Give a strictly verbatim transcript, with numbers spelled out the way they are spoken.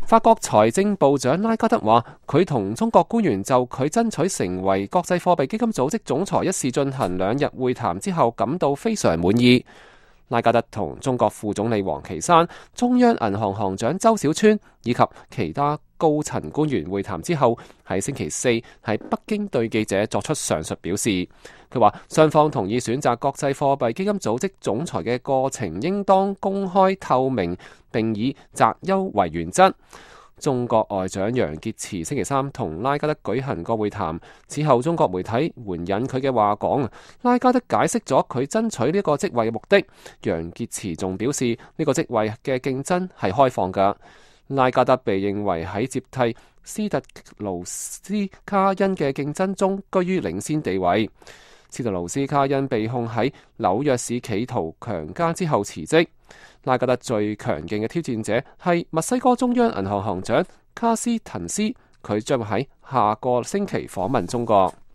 法國財政部長拉加德話，佢同中國官員就佢爭取成為國際貨幣基金組織總裁一事進行兩日會談之後，感到非常滿意。拉加德同中國副總理王岐山、中央銀行行長周小川以及其他高層官員會談之後，喺星期四喺北京對記者作出上述表示。佢話雙方同意選擇國際貨幣基金組織總裁嘅過程應當公開透明，並以擇優為原則。中國外長楊潔篪星期三同拉加德舉行過會談，此後中國媒體援引佢嘅話講，拉加德解釋咗佢爭取呢個職位嘅目的。楊潔篪仲表示呢個職位嘅競爭係開放㗎。拉加德被認為喺接替斯特勞斯卡恩嘅競爭中居於領先地位。斯特勞斯卡恩被控喺紐約市企圖強姦之後辭職。拉加德最強勁嘅挑戰者係墨西哥中央銀行行長卡斯滕斯，佢將喺下個星期訪問中國。